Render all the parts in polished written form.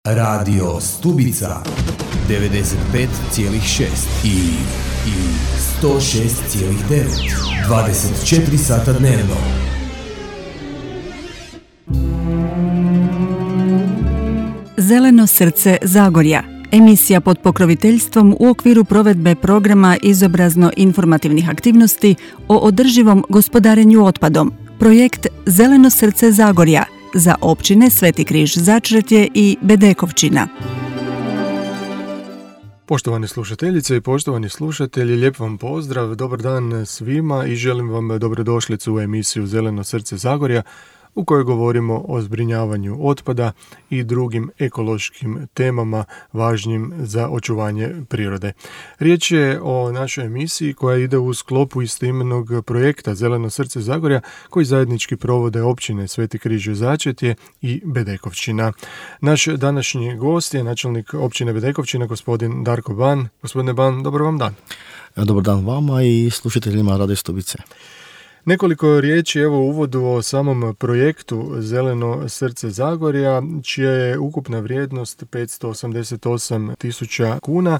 Radio Stubica 95,6 i 106,9 24 sata dnevno. Zeleno srce Zagorja. Emisija pod pokroviteljstvom u okviru provedbe programa izobrazno-informativnih aktivnosti o održivom gospodarenju otpadom. Projekt Zeleno srce Zagorja za općine Sveti Križ Začretje i Bedekovčina. Poštovane slušateljice i poštovani slušatelji, lijep vam pozdrav, dobar dan svima i želim vam dobrodošlicu u emisiju Zeleno srce Zagorja, u kojoj govorimo o zbrinjavanju otpada i drugim ekološkim temama važnim za očuvanje prirode. Riječ je o našoj emisiji koja ide u sklopu istoimenog projekta Zeleno srce Zagorja koji zajednički provode općine Sveti Križ Začretje i Bedekovčina. Naš današnji gost je načelnik općine Bedekovčina, gospodin Darko Ban. Gospodine Ban, dobar vam dan. Dobar dan vama i slušateljima Radio Stubice. Nekoliko riječi evo u uvodu o samom projektu Zeleno srce Zagorja, čija je ukupna vrijednost 588.000 kuna,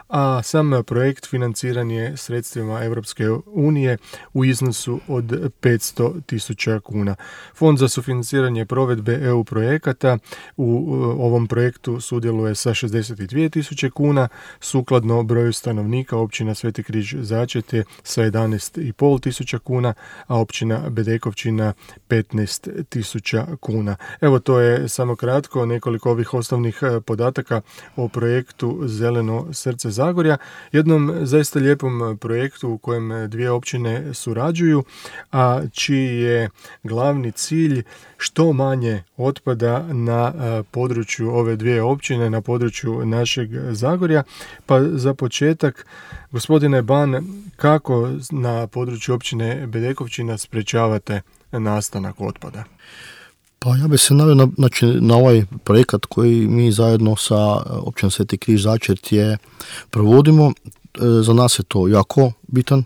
a sam projekt financiran je sredstvima Europske unije u iznosu od 500.000 kuna. Fond za sufinanciranje provedbe EU projekata u ovom projektu sudjeluje sa 62.000 kuna, sukladno broju stanovnika općina Sveti Križ Začretje sa 11.500 kuna, a općina Bedekovčina 15.000 kuna. Evo, to je samo kratko nekoliko ovih osnovnih podataka o projektu Zeleno srce Zagorja, jednom zaista lijepom projektu u kojem dvije općine surađuju, a čiji je glavni cilj što manje otpada na području ove dvije općine, na području našeg Zagorja. Pa za početak, gospodine Ban, kako na području općine Bedekovčina sprečavate nastanak otpada? Pa ja bih se naveo na ovaj projekat koji mi zajedno sa općinom Sveti Križ Začretje provodimo. Za nas je to jako bitan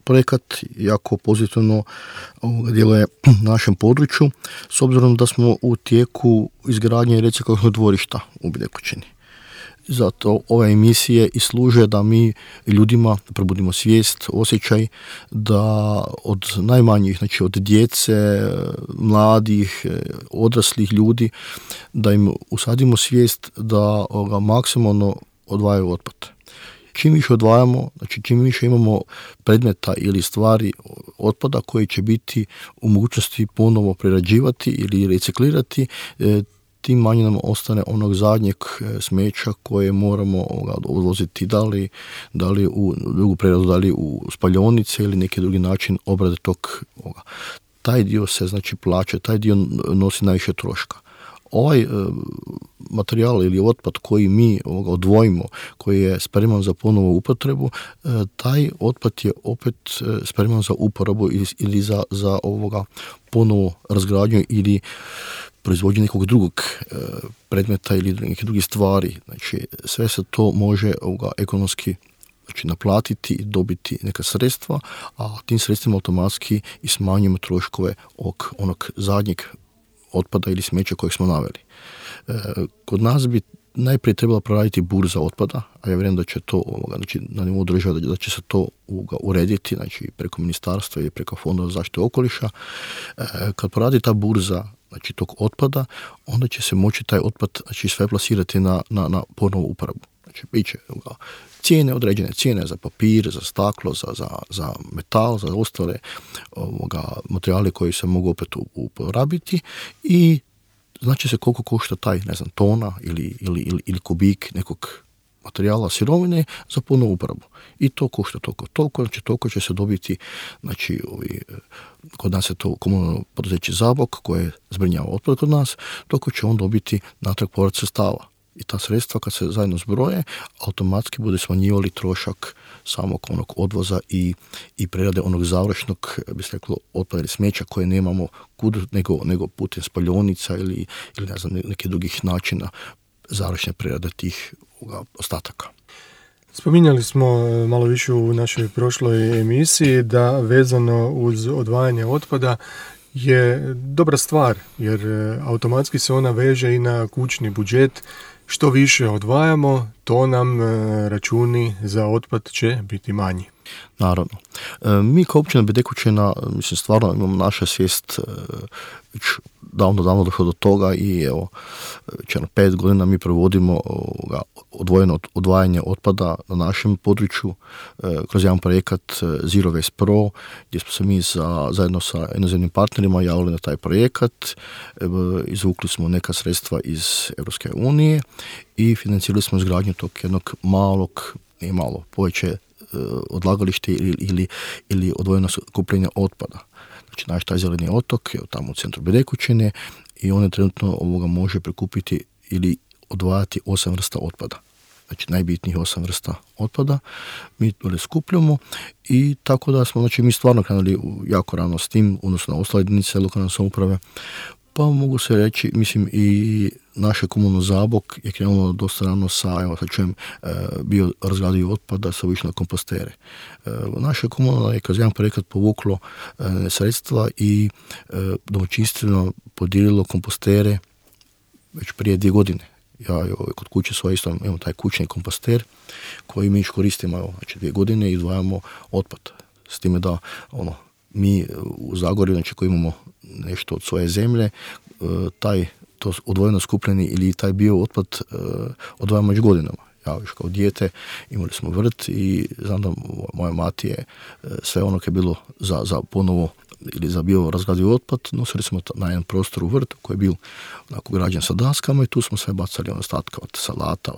projekat, jako pozitivno djeluje na našem području, s obzirom da smo u tijeku izgradnje reciklažnog dvorišta u Bedekovčini. Zato ove emisije i služe da mi ljudima probudimo svijest, osjećaj da od najmanjih, znači od djece, mladih, odraslih ljudi, da im usadimo svijest da maksimalno odvajaju otpad. Čim više odvajamo, znači čim više imamo predmeta ili stvari otpada koji će biti u mogućnosti ponovo prerađivati ili reciklirati, tim manje nam ostane onog zadnjeg smeća koje moramo odvoziti da li u drugu preradu, da li u spaljionice ili neki drugi način obrade tog. Taj dio se znači plaća, taj dio nosi najviše troška. Ovaj materijal ili otpad koji mi odvojimo, koji je spreman za ponovu upotrebu, taj otpad je opet spreman za uporabu ili za ponovu razgradnju ili proizvođenje nekog drugog predmeta ili neke druge stvari. Znači, sve se to može ekonomski naplatiti i dobiti neka sredstva, a tim sredstvima automatski i smanjimo troškove onog zadnjeg otpada ili smeća kojeg smo naveli. Kod nas bi najprije trebala proraditi burza otpada, a ja vjerujem da će to znači, na nivou države da će se to urediti, znači preko ministarstva i preko Fonda za zaštitu okoliša. Kad poradi ta burza znači tog otpada, onda će se moći taj otpad znači, sve plasirati na ponovu uporabu. Znači, bit će cijene, određene cijene za papir, za staklo, za metal, za ostale materijale koji se mogu opet uporabiti i znači se koliko košta taj, ne znam, tona ili kubik nekog materijala, sirovine za ponovu uporabu. I to košta toliko, znači toliko će se dobiti, znači kod nas je to komunalno poduzeće Zabok koje zbrinjava otpad kod nas, toliko će on dobiti natrag povrat sredstava. I ta sredstva kad se zajedno zbroje, automatski bude smanjivali trošak samog onog odvoza i prerade onog završnog, bi se reklo, otpada ili smeća koje nemamo kud nego putem spaljonica ili ne znam, nekih drugih načina završne prerade tih ostataka. Spominjali smo malo više u našoj prošloj emisiji da vezano uz odvajanje otpada je dobra stvar, jer automatski se ona veže i na kućni budžet što više odvajamo, to nam računi za otpad će biti manji. Naravno. Mi kao općina Bedekućina, mislim, stvarno imamo naša svijest već davno došlo do toga i evo, već 5 godina mi provodimo odvojeno odvajanje otpada na našem području kroz jedan projekat Zero Waste Pro, gdje smo se mi zajedno sa inozemnim partnerima javili na taj projekat, izvukli smo neka sredstva iz Europske unije i financirali smo izgradnju tog jednog malog, nije malo, poveće odlagalište ili odvojeno skupljenje otpada. Znači, naš taj zeleni otok je tamo u centru Bedekućine i on je trenutno može prikupiti ili odvajati 8 vrsta otpada. Znači, najbitnijih 8 vrsta otpada mi to skupljamo i tako da smo, znači, mi stvarno krenuli jako rano s tim, odnosno na ostale jedinice lokalne samouprave. Pa mogu se reći, mislim, i naše komunalno Zabok je krenulo dosta rano sa, evo sad čujem, bio razgradivi otpada sa više na kompostere. Naše komunalno je kroz jedan projekat povuklo sredstva i domaćinstveno podijelilo kompostere već prije 2 godine. Ja kod kuće svoje isto imamo taj kućni komposter koji mi koristimo, znači 2 godine i odvajamo otpad. S time da mi u Zagorju, znači koji imamo nešto od svoje zemlje, to odvojeno skupljeni ili taj bio otpad odvajamo već godinama. Ja još kao dijete imali smo vrt i znam da moja mati je sve ono koje je bilo za ponovo ili za bio razgradivi otpad, nosili smo na jedan prostor u vrt koji je bio onako građen sa daskama i tu smo sve bacali ostatke od salata,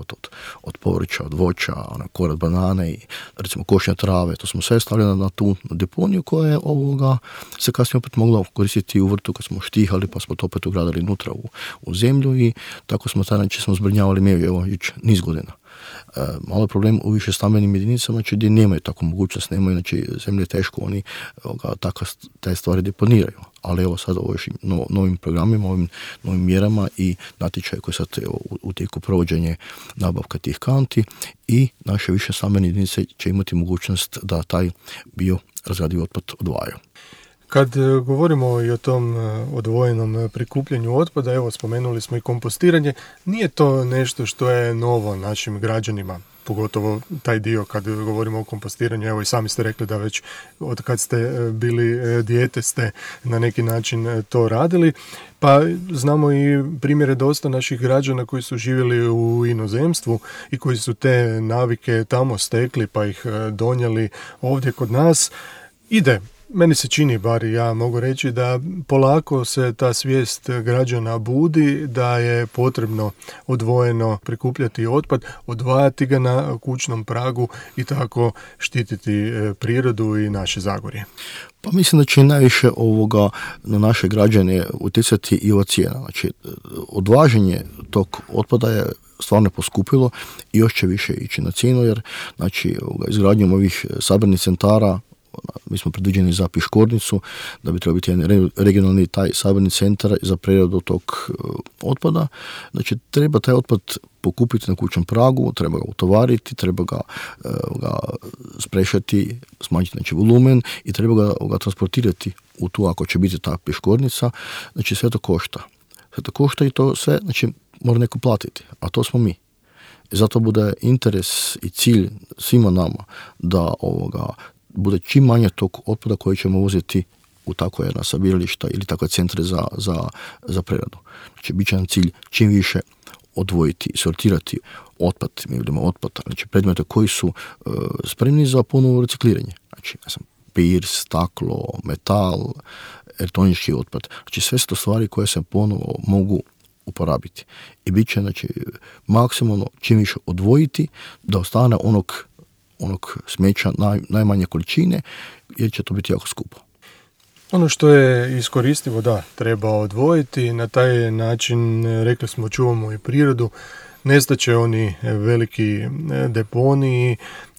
od povrća, od voća, korat banane i recimo košnje trave. To smo sve stavljali na tu deponiju koja je se kasnije opet mogla koristiti u vrtu kad smo štihali, pa smo to opet ugradili unutra u zemlju i tako smo taj način zbrinjavali meju niz godina. Malo je problem u više stambenim jedinicama, znači gdje nemaju takvu mogućnost, nemaju, znači zemlje je teško, oni te stvari deponiraju. Ali evo sad novim programima, ovim novim mjerama i natječaj koji sad u tijeku provođenje nabavka tih kanti i naše više stambene jedinice će imati mogućnost da taj bio razgradivi otpad odvajaju. Kad govorimo i o tom odvojenom prikupljanju otpada, evo spomenuli smo i kompostiranje, nije to nešto što je novo našim građanima, pogotovo taj dio kad govorimo o kompostiranju, evo i sami ste rekli da već od kad ste bili dijete ste na neki način to radili, pa znamo i primjere dosta naših građana koji su živjeli u inozemstvu i koji su te navike tamo stekli pa ih donijeli ovdje kod nas. Meni se čini, bar ja mogu reći, da polako se ta svijest građana budi, da je potrebno odvojeno prikupljati otpad, odvajati ga na kućnom pragu i tako štititi prirodu i naše Zagorje. Pa mislim da će najviše na naše građane utjecati i ova cijena. Znači, odvaženje tog otpada je stvarno poskupilo i još će više ići na cijenu, jer znači, izgradnjom ovih sabirnih centara mi smo predviđeni za Piškornicu, da bi trebao biti jedan regionalni taj sabirni centar za preradu tog otpada. Znači, treba taj otpad pokupiti na kućnom pragu, treba ga utovariti, treba ga sprešati, smanjiti znači volumen i treba ga transportirati u tu, ako će biti ta Piškornica. Znači, sve to košta. Sve to košta i to sve, znači, mora neko platiti, a to smo mi. I zato bude interes i cilj svima nama da bude čim manje tog otpada koji ćemo uzeti u tako jedna sabirališta ili takve centre za preradu. Znači, bit će nam cilj čim više odvojiti, sortirati otpad, mi vidimo otpad, znači predmete koji su spremni za ponovno recikliranje. Znači, papir, staklo, metal, elektronički otpad. Znači, sve su to stvari koje se ponovo mogu uporabiti. I bit će, znači, maksimalno čim više odvojiti da ostane onog smeća najmanje količine, jer će to biti jako skupo. Ono što je iskoristivo, da, treba odvojiti. Na taj način, rekli smo, čuvamo i prirodu. Nestaće oni veliki deponiji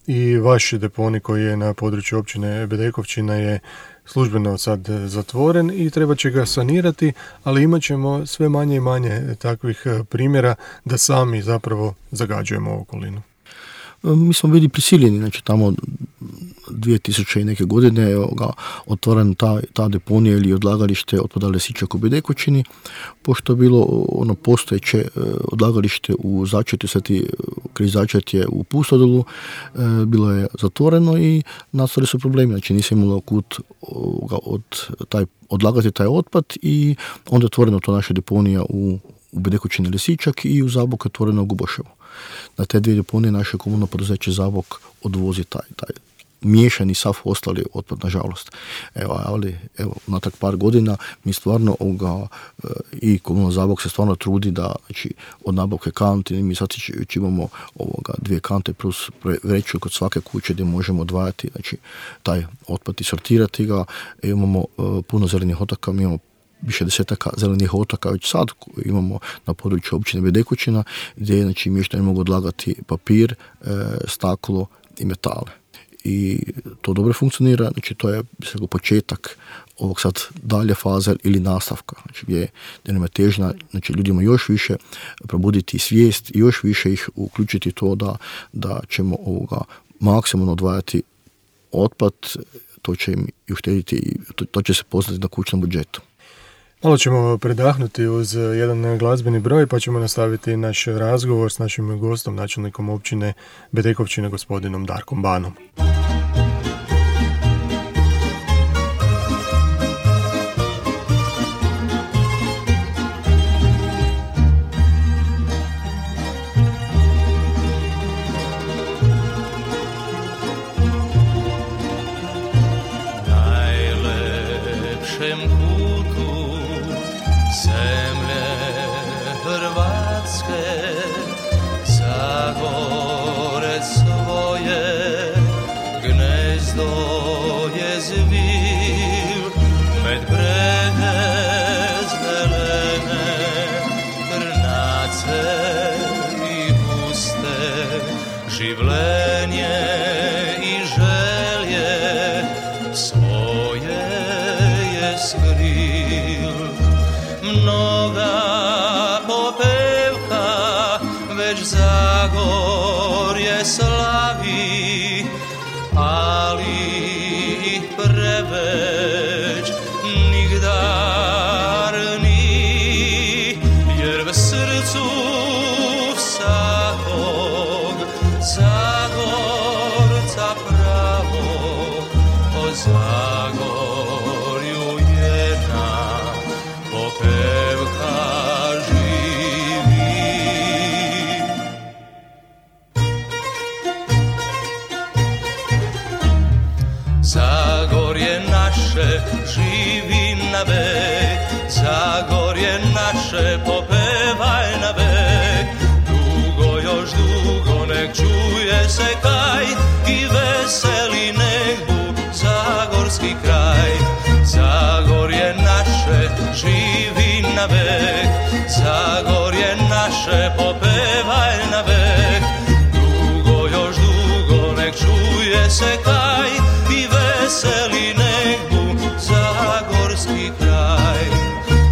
i vaš deponij koji je na području općine Bedekovčina je službeno sad zatvoren i treba će ga sanirati, ali imat ćemo sve manje i manje takvih primjera da sami zapravo zagađujemo okolinu. Mi smo bili prisiljeni, znači tamo 2000 i neke godine otvoren ta deponija ili odlagalište otpada Lesičak u Bedekovčini, pošto je bilo ono postojeće odlagalište u Začetju, Sveti Križ Začetje u Pustodolu, bilo je zatvoreno i nastali su problemi, znači nisi imalo kud odlagati taj otpad i onda je otvoreno to naša deponija u Bedekovčini Lesičak i u Zabok je otvoreno u Guboševu. Na te dvije deponije naše komunalno poduzeće Zabok odvozi taj miješani sav ostali otpad, nažalost. Ali natak par godina mi stvarno i komunalno Zabok se stvarno trudi da, znači, od nabavke kanti, mi sad imamo 2 kante plus vreću kod svake kuće gdje možemo odvajati, znači, taj otpad i sortirati ga. Imamo puno zelenih otoka, mi imamo više desetaka zelenih otoka već sad imamo na području općine Bedekovčina, gdje, znači, mještani mogu odlagati papir, staklo i metale. I to dobro funkcionira, znači to je početak ovog sad dalje faze ili nastavka, znači gdje nam je težnja, znači ljudima još više probuditi svijest i još više ih uključiti to da ćemo maksimalno odvajati otpad, to će im i uštediti i to će se poznati na kućnom budžetu. Malo ćemo predahnuti uz jedan glazbeni broj, pa ćemo nastaviti naš razgovor s našim gostom, načelnikom općine Bedekovčina, gospodinom Darkom Banom. Zagorje naše živi na vek, Zagorje naše popevaj na vek. Dugo, još dugo nek čuje se kaj i veseli nek bu zagorski kraj. Zagorje naše živi na vek, Zagorje naše popevaj na vek. Dugo, još dugo nek čuje se kaj i veseli nek bu zagorski kraj.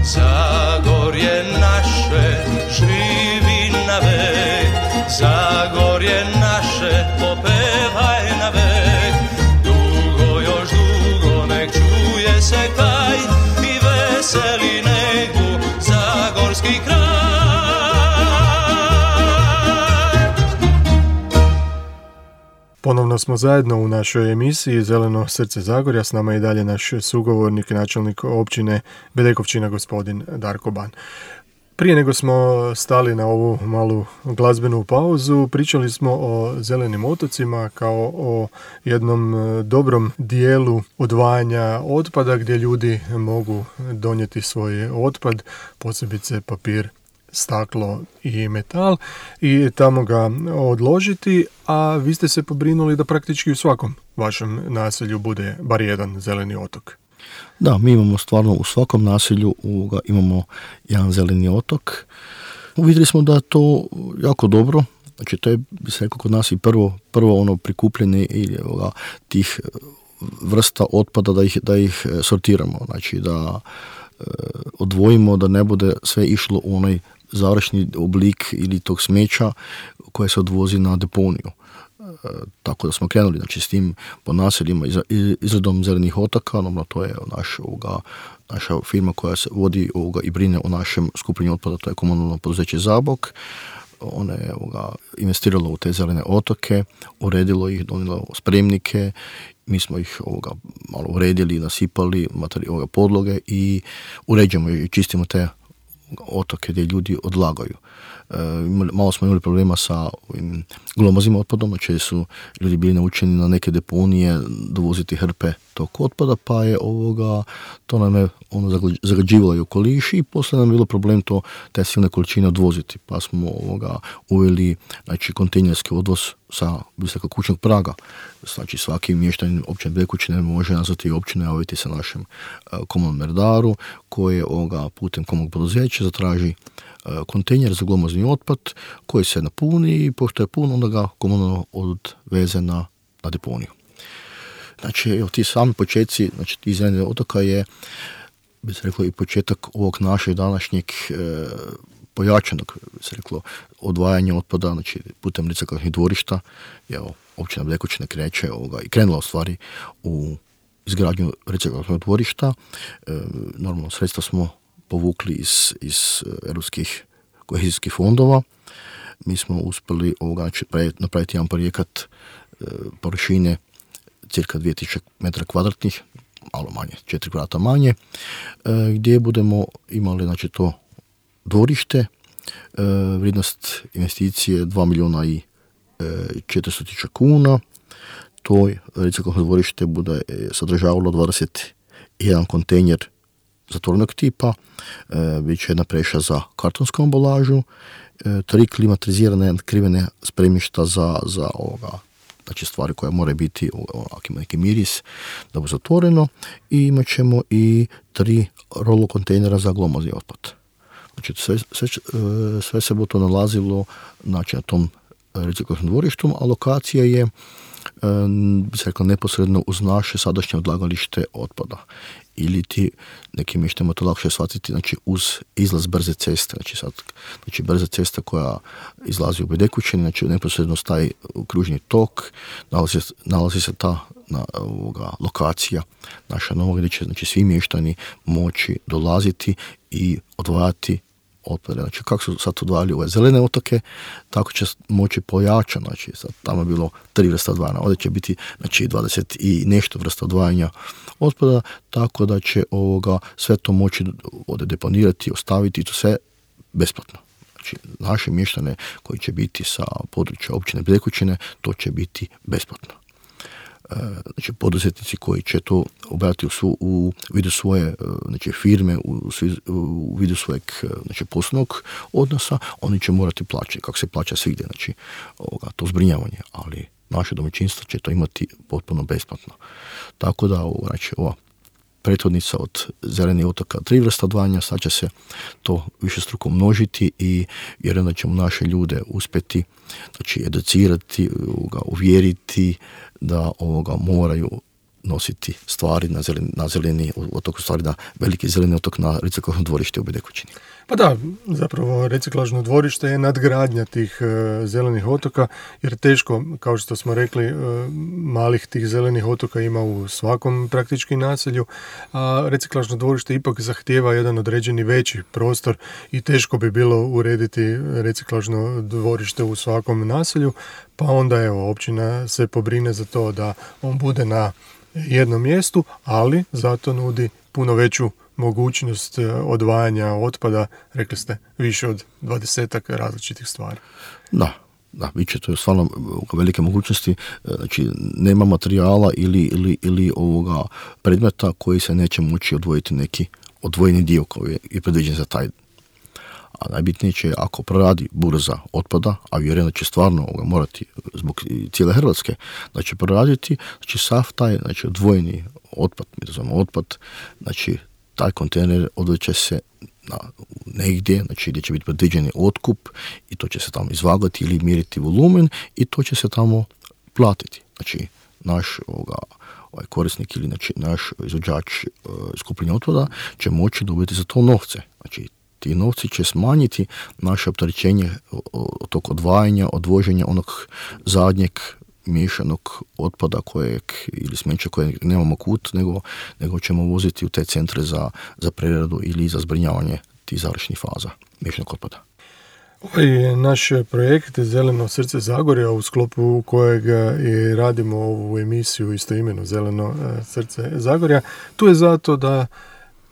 Zagorje naše živi na vek, Zagorje naše popevaj na vek. Dugo, još dugo nek čuje se kaj i veseli nek bu zagorski kraj. Ponovno smo zajedno u našoj emisiji Zeleno srce Zagorja. S nama je i dalje naš sugovornik, načelnik općine Bedekovčina, gospodin Darko Ban. Prije nego smo stali na ovu malu glazbenu pauzu, pričali smo o zelenim otocima kao o jednom dobrom dijelu odvajanja otpada gdje ljudi mogu donijeti svoj otpad, posebice papir, staklo i metal, i tamo ga odložiti, a vi ste se pobrinuli da praktički u svakom vašem naselju bude bar jedan zeleni otok. Da, mi imamo stvarno u svakom naselju imamo jedan zeleni otok. Uvidjeli smo da je to jako dobro, znači to je, bi se rekao, kod nas i prvo ono prikupljanje tih vrsta otpada da ih sortiramo, znači da odvojimo, da ne bude sve išlo u onaj završni oblik ili tog smeća koje se odvozi na deponiju. tako da smo krenuli znači, s tim po naseljima izradom zelenih otoka. Normalno, to je naša firma koja se vodi i brine o našem skupljenju otpada, to je komunalno poduzeće Zabok. Ona je investirala u te zelene otoke, uredilo ih, donijelo spremnike, mi smo ih malo uredili, nasipali podloge i uređujemo i čistimo te otoke gdje ljudi odlagaju. Malo smo imali problema sa glomaznim otpadom, znači su ljudi bili naučeni na neke deponije dovoziti hrpe tog otpada, pa je to nam je zagađivalo i okoliš i poslije nam je bilo problem te silne količine odvoziti, pa smo uveli znači, kontejnerski odvoz sa visokog praga. Znači svaki mještanin općine Bekućine može nazvati općinu, javiti se našem komunalnom redaru koji putem komunalnog poduzeća zatraži kontejner za glomazni otpad koji se napuni i pošto je pun onda ga komunalno odveze na deponiju. Znači, evo, ti sami početci, znači ti zelenih otoka je, bi se reklo, i početak ovog našeg današnjeg pojačanog, bi se reklo, odvajanja otpada, znači putem reciklažnih dvorišta. Evo, općina Bekućine kreće i krenula u stvari u izgradnju reciklažnog dvorišta. Normalno, sredstva smo povukli iz europskih kohezijskih fondova. Mi smo uspjeli napraviti jedan projekat površine cirka 2000 metara kvadratnih, malo manje, 4 kvadrata manje, gdje budemo imali znači, to dvorište, vrijednost investicije 2.400.000 kuna. To reciklažno dvorište bude sadržavalo 21 kontejner zatvorenog tipa, bit će jedna preša za kartonsku ambalažu, 3 klimatizirane krivene spremišta za znači stvari koje moraju biti, ako ima neki miris, da bude zatvoreno, i imat ćemo i 3 rolo kontejnera za glomazni otpad. Znači sve se bude to nalazilo znači, na tom reciklažnom dvorištu, a lokacija je bi se rekla neposredno uz naše sadašnje odlagalište otpada. Ili ti nekim mještama to lakše shvatiti, znači uz izlaz brze ceste, znači brza cesta koja izlazi u Bedekućini, znači neposredno staje u kružni tok, nalazi se ta lokacija naša nova gdje će znači, svi mještani moći dolaziti i odvajati otpade. Znači kako su sad odvajali ove zelene otoke, tako će moći pojačati, znači sad tamo je bilo 3 vrsta odvajanja, ovdje će biti znači 20 i nešto vrsta odvajanja otpada, tako da će sve to moći ovdje deponirati, ostaviti, to sve besplatno. Znači naše mještane koji će biti sa područja općine Bekućine, to će biti besplatno. Znači poduzetnici koji će to obratiti u vidu svoje znači, firme, u vidu svojeg znači, poslovnog odnosa, oni će morati plaćati, kako se plaća svigdje, znači to zbrinjavanje, ali naše domaćinstvo će to imati potpuno besplatno. Tako da znači, ova prethodnica od zelenih otoka 3 vrsta odvajanja, sad će se to višestruko množiti i vjerujem da ćemo naše ljude uspjeti znači, educirati, uvjeriti da moraju nositi stvari na zeleni otok, stvari na veliki zeleni otok na reciklažno dvorište u Bedekućini. Pa da, zapravo reciklažno dvorište je nadgradnja tih zelenih otoka, jer teško, kao što smo rekli, malih tih zelenih otoka ima u svakom praktički naselju, a reciklažno dvorište ipak zahtijeva jedan određeni veći prostor i teško bi bilo urediti reciklažno dvorište u svakom naselju, pa onda evo, općina se pobrine za to da on bude na jednom mjestu, ali zato nudi puno veću mogućnost odvajanja otpada, rekli ste, više od 20 različitih stvari. Da, bit će to stvarno velike mogućnosti, znači nema materijala ili ovoga predmeta koji se neće moći odvojiti neki odvojeni dio koji je predviđen za taj. A najbitnije će, ako proradi burza otpada, a vjerujem da će stvarno morati zbog cijele Hrvatske, da će proraditi, znači sav taj znači, odvojeni otpad, mi to zovemo otpad, znači taj kontejner odveće se negdje, znači gdje će biti predviđeni otkup i to će se tamo izvagati ili mjeriti volumen i to će se tamo platiti. Znači naš ovaj korisnik ili znači, naš izvođač skupljanja otpada će moći dobiti za to novce. Znači ti novci će smanjiti naše opterećenje od tog odvajanja, odvoženja onog zadnjeg miješanog otpada ili smeća kojeg nemamo kut, nego ćemo voziti u te centre za preradu ili za zbrinjavanje tih završnih faza miješanog otpada. Ovaj naš projekt Zeleno srce Zagorja, u sklopu kojega i radimo ovu emisiju istoimenu Zeleno srce Zagorja, tu je zato da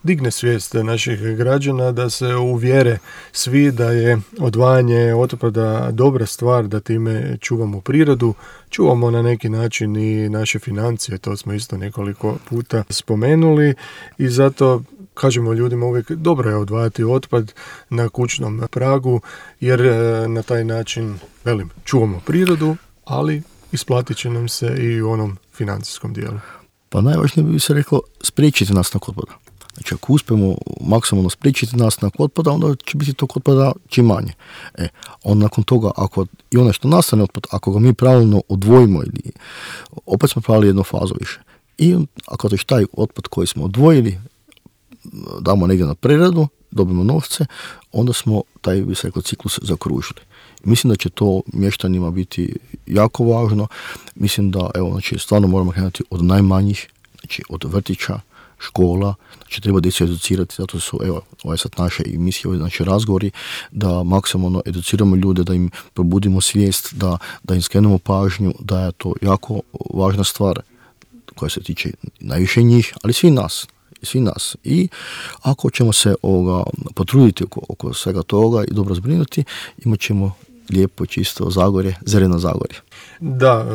digne svijest naših građana, da se uvjere svi da je odvajanje otpada dobra stvar, da time čuvamo prirodu, čuvamo na neki način i naše financije, to smo isto nekoliko puta spomenuli i zato kažemo ljudima uvijek dobro je odvajati otpad na kućnom pragu, jer na taj način, čuvamo prirodu, ali isplatit će nam se i u onom financijskom dijelu. Pa najvažnije bi se reklo spriječiti nastanak otpada. Znači, ako uspijemo maksimalno spriječiti nastanak otpada, onda će biti tog otpada čim manje. Onda nakon toga, ako i ono što nastane otpad, ako ga mi pravilno odvojimo, ili opet smo pravili jednu fazu više. I ako to taj otpad koji smo odvojili, damo negdje na preradu, dobimo novce, onda smo taj, bi se rekao, ciklus zakružili. Mislim da će to mještanima biti jako važno. Mislim da, stvarno moramo krenuti od najmanjih, znači od vrtića, škola, znači treba djecu educirati, zato su, ovo je sad naše emisije, znači razgovori, da maksimalno educiramo ljude, da im probudimo svijest, da im skrenemo pažnju, da je to jako važna stvar koja se tiče najviše njih, ali svi nas. I ako ćemo se potruditi oko svega toga i dobro zbrinuti, imat ćemo lijepo, čisto Zagorje, zeleno Zagorje. Da,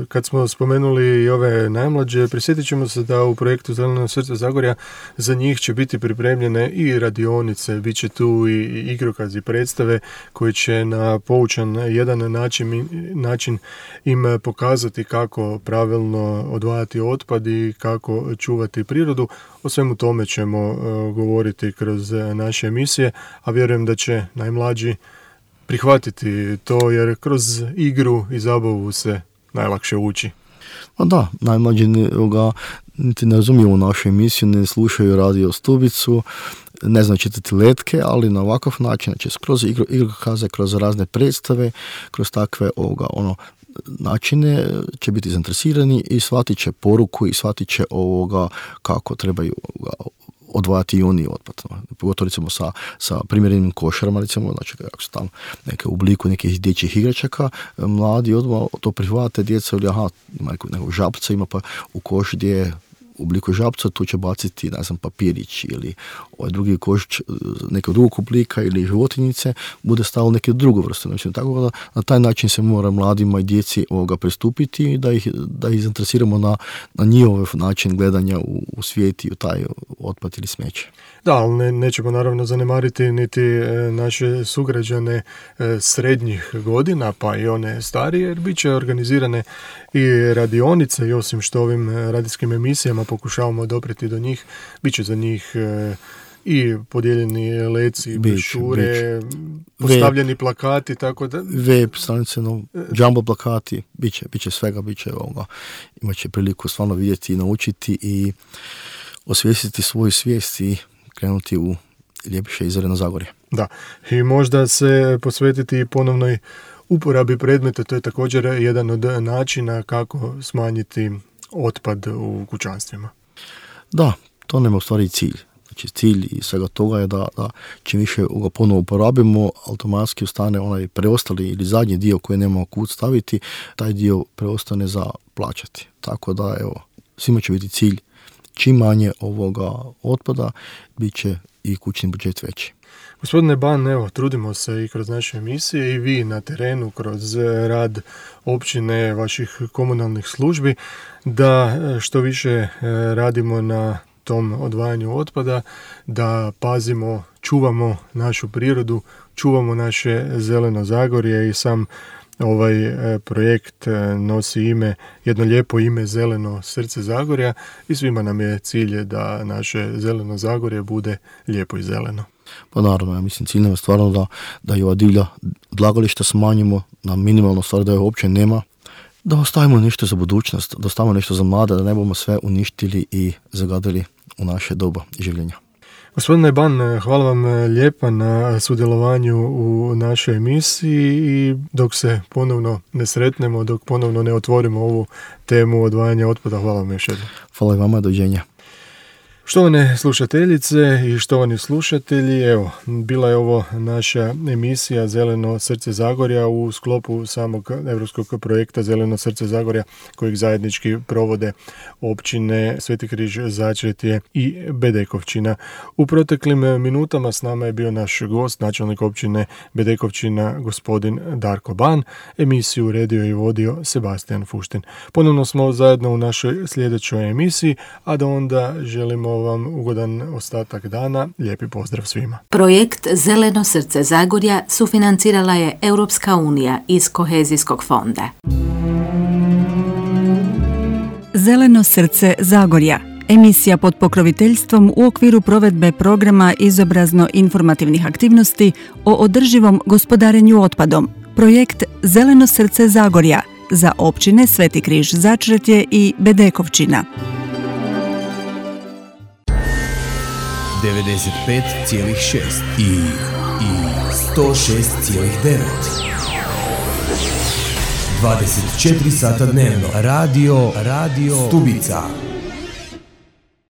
kad smo spomenuli i ove najmlađe, prisjetit ćemo se da u projektu Zeleno srce Zagorja za njih će biti pripremljene i radionice, bit će tu i igrokazi, predstave koji će na poučan jedan način im pokazati kako pravilno odvajati otpad i kako čuvati prirodu. O svemu tome ćemo govoriti kroz naše emisije, a vjerujem da će najmlađi prihvatiti to, jer kroz igru i zabavu se najlakše uči. Da, najmlađi niti ne razumiju našu emisiju, ne slušaju radio Stubicu, ne znaju čitati letke, ali na ovakav način, znači kroz igrokaze, kroz razne predstave, kroz takve načine će biti zainteresirani i shvatit će poruku i shvatit će kako trebaju odvajati i oni otpad. Pogotovo recimo sa primjerenim košarama, recimo, znači ako su tamo neke u obliku nekih dječjih igračaka, mladi odmah to prihvate, djeca ili ima nekog žabca, ima pa u koš gdje je u obliku žabca, tu će baciti, papirić ili ovaj drugi koš nekog drugog oblika ili životinjice, bude stalo neke druge vrste. Znači, tako da na taj način se mora mladima i djeci pristupiti i da ih zainteresiramo na njihov način gledanja u svijet i u taj otpad ili smeće. Da, ali nećemo naravno zanemariti niti naše sugrađane srednjih godina, pa i one starije, jer bit će organizirane i radionice, i osim što ovim radijskim emisijama pokušavamo doprijeti do njih, bit će za njih i podijeljeni leci, brošure, postavljeni plakati, tako da... Web stranice, jumbo plakati, bit će svega, imat će priliku stvarno vidjeti i naučiti i osvijestiti svoju svijest i krenuti u ljepiše i zeleno Zagorje. Da, i možda se posvetiti ponovnoj uporabi predmeta, to je također jedan od načina kako smanjiti otpad u kućanstvima. Da, to nam je u stvari cilj. Znači cilj i svega toga je da čim više ga ponovo uporabimo, automatski ostane onaj preostali ili zadnji dio koji nemamo kud staviti, taj dio preostane za plaćati. Tako da, svima će biti cilj čim manje ovoga otpada, bit će i kućni budžet veći. Gospodine Ban, trudimo se i kroz naše emisije i vi na terenu, kroz rad općine, vaših komunalnih službi, da što više radimo na tom odvajanju otpada, da pazimo, čuvamo našu prirodu, čuvamo naše zeleno Zagorje i sam ovaj projekt nosi jedno lijepo ime Zeleno srce Zagorja i svima nam je cilj da naše zeleno Zagorje bude lijepo i zeleno. Pa naravno, ja mislim cilj nam je stvarno da i ova divlja odlagališta smanjimo na minimalno stvar, da je uopće nema, da ostavimo nešto za budućnost, da ostavimo nešto za mlade, da ne bomo sve uništili i zagadili u naše doba življenja. Gospodine Ban, hvala vam lijepa na sudjelovanju u našoj emisiji i dok se ponovno ne sretnemo, dok ponovno ne otvorimo ovu temu odvajanja otpada, hvala vam još jednom. Hvala i vama, doviđenja. Štovane slušateljice i štovani slušatelji, evo, bila je ovo naša emisija Zeleno srce Zagorja u sklopu samog europskog projekta Zeleno srce Zagorja kojeg zajednički provode općine Sveti Križ, Začretje i Bedekovčina. U proteklim minutama s nama je bio naš gost, načelnik općine Bedekovčina, gospodin Darko Ban. Emisiju uredio i vodio Sebastian Fuštin. Ponovno smo zajedno u našoj sljedećoj emisiji, a da onda želimo vam ugodan ostatak dana. Lijepi pozdrav svima. Projekt Zeleno srce Zagorja sufinancirala je Europska unija iz Kohezijskog fonda. Zeleno srce Zagorja. Emisija pod pokroviteljstvom u okviru provedbe programa izobrazno-informativnih aktivnosti o održivom gospodarenju otpadom. Projekt Zeleno srce Zagorja za općine Sveti Križ, Začretje i Bedekovčina. 95,6 i 106,9. 24 sata dnevno. Radio Stubica.